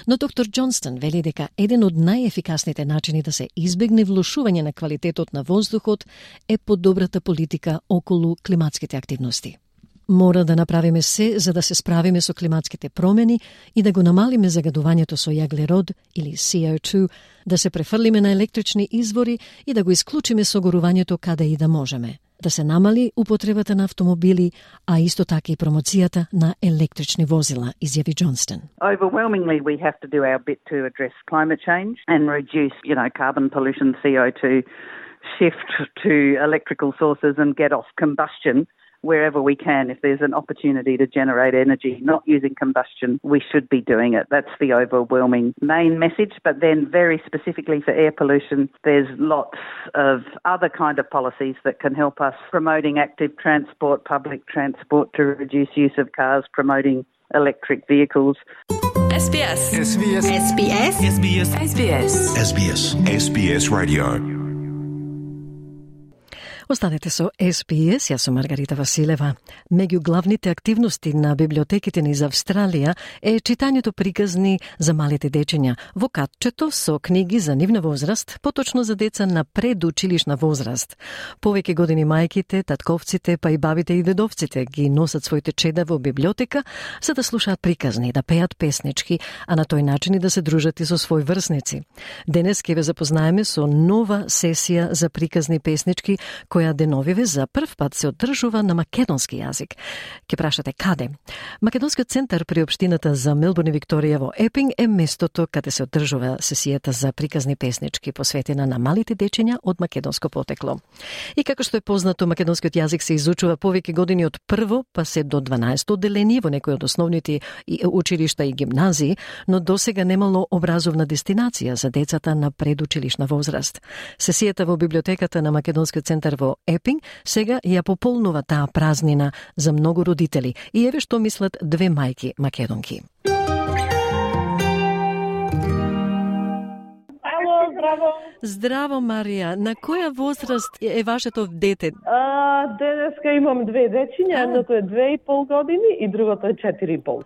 Но доктор Џонстон вели дека еден од најефикасните начини да се избегне влошување на квалитетот на воздухот е подобрата политика околу климатските активности. Мора да направиме се за да се справиме со климатските промени и да го намалиме загадувањето со јаглерод или си о two, да се префрлиме на електрични извори и да го исклучиме согорувањето каде и да можеме. Да се намали употребата на автомобили, а исто така и промоцијата на електрични возила, изјави Џонстон. Overwhelmingly, we have to do our bit to address climate change and reduce, you know, carbon pollution, C O two, shift to electrical sources and get off combustion wherever we can. If there's an opportunity to generate energy not using combustion, we should be doing it. That's the overwhelming main message. But then very specifically for air pollution, there's lots of other kind of policies that can help us, promoting active transport, public transport to reduce use of cars, promoting electric vehicles. S B S. S B S. S B S. S B S. S B S. S B S. S B S Radio. Останете со Ес Би Ес, јас сум Маргарита Василева. Меѓу главните активности на библиотеките низ Австралија е читањето приказни за малите дечиња во катчето со книги за нивна возраст, поточно за деца на предучилишна возраст. Повеќе години мајките, татковците, па и бабите и дедовците ги носат своите чеда во библиотека за да слушаат приказни, да пеат песнички, а на тој начин и да се дружат и со свој врсници. Денес ќе ве запознаеме со нова сесија за приказни песнички, која деновиве за прв пат се одржува на македонски јазик. Ке прашате каде? Македонскиот центар при општината за Мелбурн и Викторија во Епинг е местото каде се одржува сесијата за приказни песнички посветена на малите дечиња од македонско потекло. И како што е познато, македонскиот јазик се изучува повеќе години од прво па се до дванаесто одделение во некои од основните училишта и гимназии, но досега немало образовна дестинација за децата на предучилишна возраст. Сесијата во библиотеката на Македонскиот центар во Епинг сега ја пополнува таа празнина за многу родители. И еве што мислат две мајки македонки. Ало, здраво. Здраво, Марија. На која возраст е вашето дете? А, денеска имам две дечиња, едното е две и пол години и другото е четири и пол.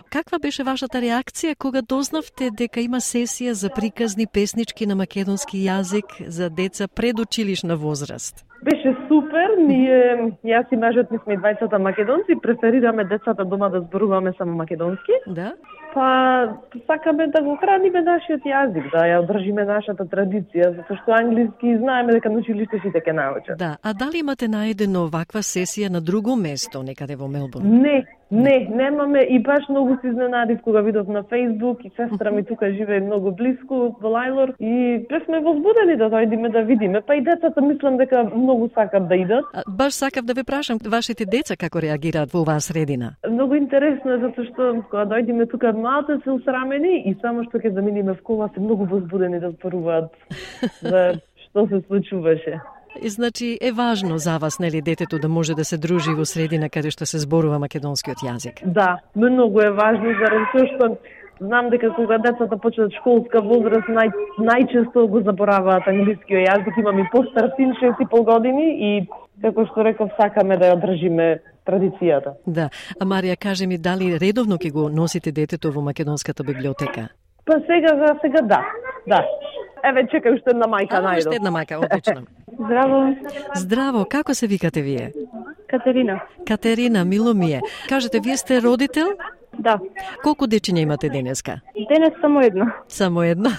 Каква беше вашата реакција кога дознавте дека има сесија за приказни песнички на македонски јазик за деца предучилишна возраст? Беше супер, ние, јас и мажот ми сме двајцата македонци, преферираме децата дома да зборуваме само македонски. Да. Па сакаме да го храниме нашиот јазик, да ја одржиме нашата традиција, затоа што англиски знаеме дека на училиште сите ќе научат. Да, а дали имате најдено оваква сесија на друго место, некаде во Мелбурн? Не, не, немаме и баш многу се изненадив кога видов на Facebook и сестра ми тука живее многу блиску во Лајлор и бевме возбудени да дојдеме да видиме, па и децата мислам дека многу сакат да идат. А, баш сакав да ве прашам, вашите деца како реагираат во оваа средина? Многу интересно е затоа што кога дојдеме тука малце се усрамени и само што ќе заминиме в кола се многу возбудени да зборуваат за што се случуваше. И, значи е важно за вас, нели, детето да може да се дружи во средина каде што се зборува македонскиот јазик? Да, многу е важно заради тоа што знам дека кога децата почнат школска возраст, нај, најчесто го забораваат англискиот јазик. Имам и постар син, шест и пол години и како што реков, сакаме да ја одржиме традицијата. Да. А Марија, кажи ми, дали редовно ќе го носите детето во македонската библиотека? Па сега, за сега да. Да. Еве, чекај уште една мајка најдов. Уште една мајка, одлично. Здраво. Здраво, како се викате вие? Катерина. Катерина, мило ми е. Кажете, вие сте родител? Да. Колку дечиња имате денеска? Денес само едно. Само едно?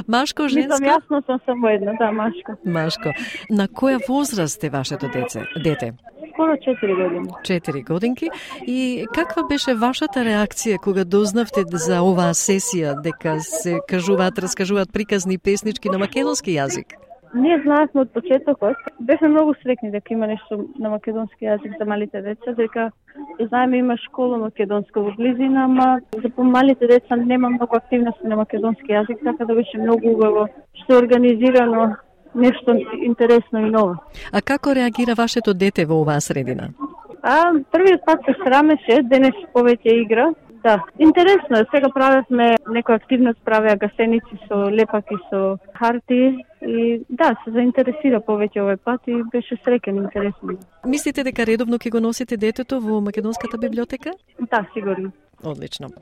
Машко, женско? Мислам, јасно сум само едно, да, машко. Машко. На која возраст е вашето деце, дете? Скоро четири години. Четири годинки. И каква беше вашата реакција кога дознавте за оваа сесија, дека се кажуваат, раскажуваат приказни песнички на македонски јазик? Ние знаевме од почетокот, бевме многу среќни дека има нешто на македонски јазик за малите деца, дека знаеме има школа македонска во близина, ама за помалите деца нема многу активности на македонски јазик, така да беше многу убаво што е организирано нешто интересно и ново. А како реагира вашето дете во оваа средина? А, првиот пат се срамеше, денес повеќе игра. Да, интересно е. Сега правевме некоја активност, правеа гасеници со лепаки со харти и да, се заинтересира повеќе овој пат и беше среќен, интересно. Мислите дека редовно ќе го носите детето во македонската библиотека? Да, сигурно. Одлично.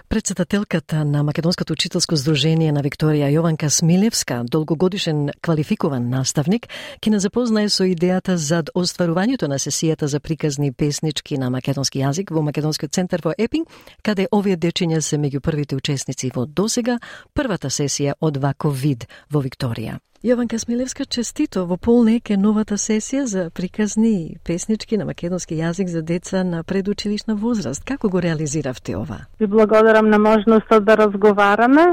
Председателката на Македонското учителско здружение на Викторија Јованка Смилевска, долгогодишен квалификуван наставник, ќе не запознае со идејата за остварувањето на сесијата за приказни песнички на македонски јазик во Македонскиот центар во Епинг, каде овие дечиња се меѓу првите учесници во досега првата сесија од ваков вид во Викторија. Јованка Смилевска, честито во полнек е новата сесија за приказни песнички на македонски јазик за деца на предучилишна возраст. Како го реализиравте ова? Ви благодарам на можноста да разговараме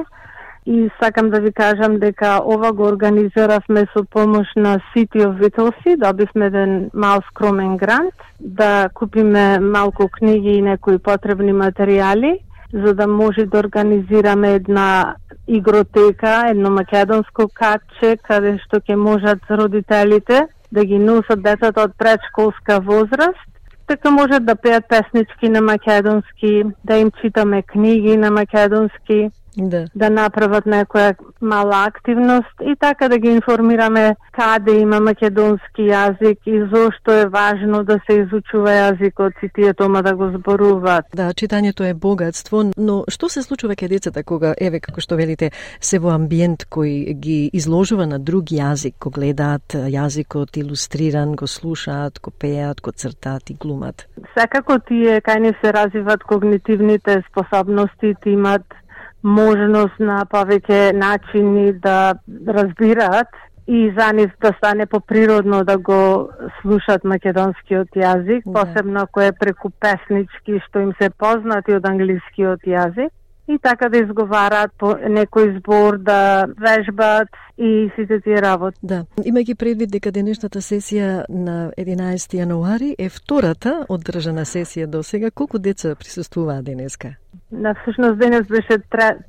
и сакам да ви кажам дека ова го организиравме со помош на City of Whittlesea. Добивме еден мал скромен грант да купиме малку книги и некои потребни материјали за да може да организираме една игротека, едно македонско катче, каде што ќе можат родителите да ги носат децата од предшколска возраст, така можат да пеат песнички на македонски, да им читаме книги на македонски, да, да направат некоја мала активност и така да ги информираме каде има македонски јазик и зошто е важно да се изучува јазикот и тие тома да го зборуваат. Да, читањето е богатство, но што се случува кај децата кога, еве, како што велите, се во амбиент кој ги изложува на друг јазик, го гледаат јазикот илустриран, го слушаат, го пеат, го цртаат и глумат? Секако тие кај не се развиват когнитивните способности, имат можност на повеќе начини да разбираат и за нив да стане поприродно да го слушат македонскиот јазик, да, посебно ако е преку песнички што им се познати од англискиот јазик, и така да изговараат по некој збор, да вежбат и сите тие работи. Да, имајќи предвид дека денешната сесија на единаесети јануари е втората одржана сесија до сега, колку деца присуствуваа денеска? На всушност денес беше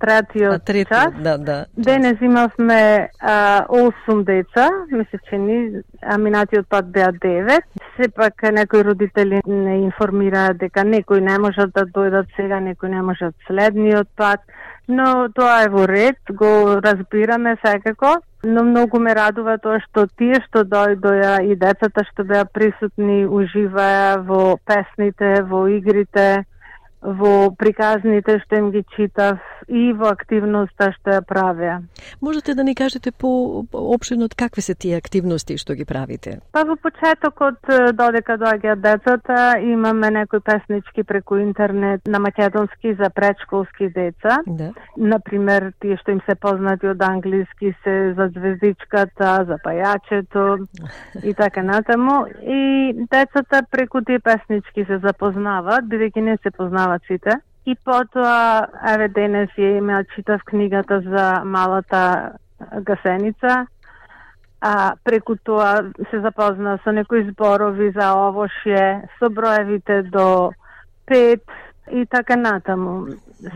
третиот трети, час. Да, да. Денес имавме а, осум деца, месечени, а минатиот пат беа девет. Сепак некои родители не информираа дека некои не можат да дојдат сега, некои не можат следниот пат, но тоа е во ред, го разбираме секако. Но многу ме радува тоа што тие што дојдоа и децата што беа присутни уживаа во песните, во игрите, во приказните што им ги читав и во активноста што ја правеа. Можете да ни кажете по-опширно какви се тие активности што ги правите? Па во почетокот, додека доаѓаат децата, имаме некои песнички преку интернет на македонски за предшколски деца. Да. Например, тие што им се познати од англиски се за звездичката, за пајачето и така натаму. И децата преку тие песнички се запознаваат, бидејќи не се познаваат сите. И потоа, еве денес ја имеа читав книгата за малата гасеница, а преку тоа се запозна со некои зборови за овошје, со броевите до пет и така натаму.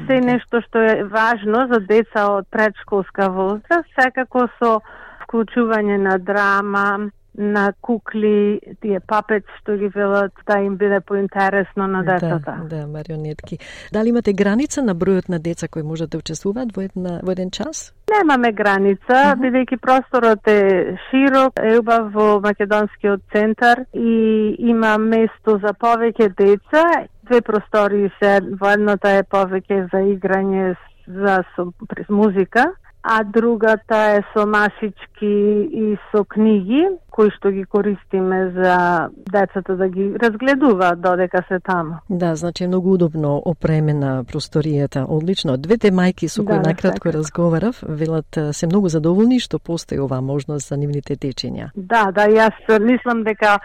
Се нешто што е важно за деца од предшколска возраст, секако со вклучување на драма, на кукли, тие папет што ги велат, да им биде поинтересно на децата. Да, да, марионетки. Дали имате граница на бројот на деца кои можат да учествуваат во, една, во еден час? Немаме граница, uh-huh. бидејќи просторот е широк, е убав во Македонскиот центар и има место за повеќе деца. Две простори се, во едната е повеќе за играње за со, през музика, а другата е со масички и со книги, кои што ги користиме за децата да ги разгледуваат додека се таму. Да, значи многу удобно опремена просторијата, одлично. Двете мајки со кои да, накратко така разговарав, велат се многу задоволни што постои оваа можност за нивните дечиња. Да, да, јас мислам дека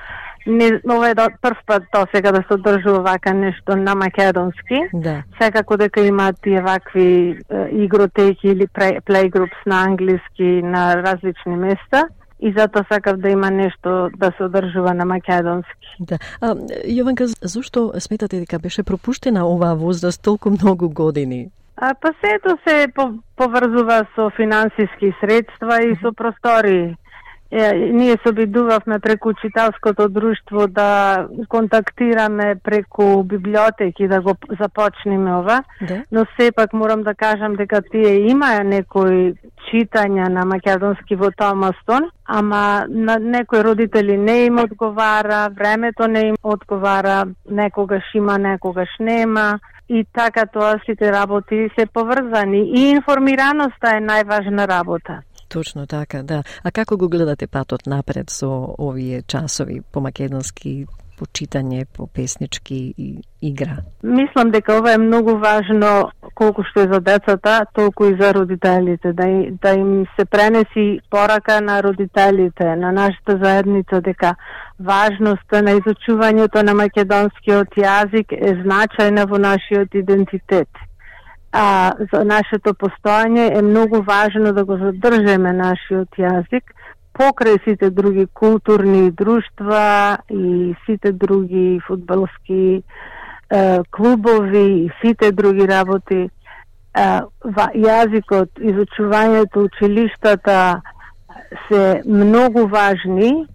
Не, ова е прв пат до сега да се одржува вака нешто на македонски. Да. Секако дека имаат тие вакви е, игротеки или плейгрупс на англиски на различни места. И затоа сакав да има нешто да се одржува на македонски. Да. А, Јованка, зошто сметате дека беше пропуштена оваа возраст толку многу години? А, па сето се поврзува со финансиски средства и со простори. Е, ние се обидувавме преку читалското друштво да контактираме преку библиотеки да го започнеме ова, да. Но сепак морам да кажам дека тие имаа некои читања на македонски во Томастон, ама на некои родители не им одговара, времето не им одговара, некогаш има, некогаш нема. И така тоа сите работи се поврзани и информираноста е најважна работа. Точно така, да. А како го гледате патот напред со овие часови по македонски, по читање, по песнички и игра? Мислам дека ова е многу важно колку што е за децата, толку и за родителите, да, и, да им се пренеси порака на родителите, на нашата заедница, дека важноста на изучувањето на македонскиот јазик е значајна во нашиот идентитет. А за нашето постојање е многу важно да го задржеме нашиот јазик покрај сите други културни друштва и сите други фудбалски е, клубови и сите други работи. Е, јазикот, изучувањето, училиштата се многу важни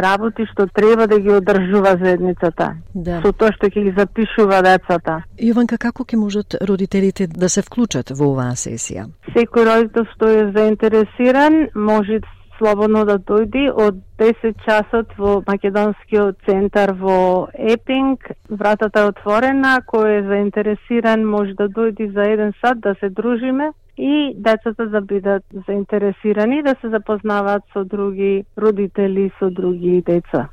работи што треба да ги одржува заедницата. Да. Со тоа што ќе ги запишува децата. Јованка, како ќе можат родителите да се вклучат во оваа сесија? Секој родител што е заинтересиран може слободно да дојди од десет часот во македонскиот центар во Епинг. Вратата е отворена, кој е заинтересиран може да дојди за еден сат да се дружиме и децата да бидат заинтересирани да се запознаваат со други родители, со други деца.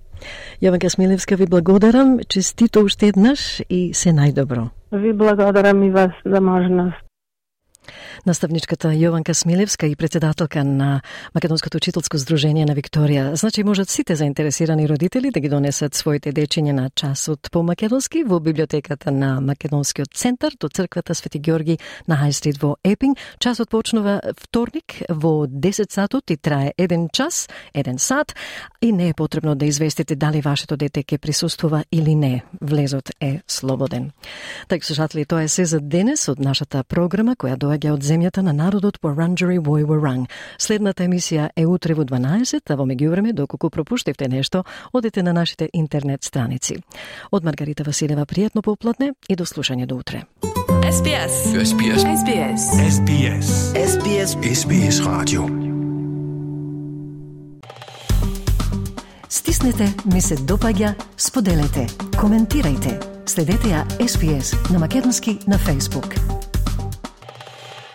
Јованка Смилевска, ви благодарам, честито уште еднаш и се најдобро. Ви благодарам и вас за можност. Наставничката Јованка Смилевска и председателка на Македонското учителско здружение на Викторија. Значи можат сите заинтересирани родители да ги донесат своите дечиња на часот по македонски во библиотеката на Македонскиот центар до црквата Свети Ѓорги на Хај Стрит во Епинг. Часот почнува вторник во десет сатот и трае еден час, еден сат и не е потребно да известите дали вашето дете ќе присуствува или не. Влезот е слободен. Така слушатели, тоа е се за денес од нашата програма која доаѓа од земјата на народот Wurundjeri Woi Wurrung. Следната емисија е утре во дванаесет, а во меѓувреме, доколку пропуштивте нешто, одете на нашите интернет страници. Од Маргарита Василева, пријатно попладне и до слушање до утре. S B S. S B S. S B S. S B S. S B S. S B S Radio. Стиснете, ми се допаѓа, споделете, коментирајте. Следете ја S B S на македонски на Facebook.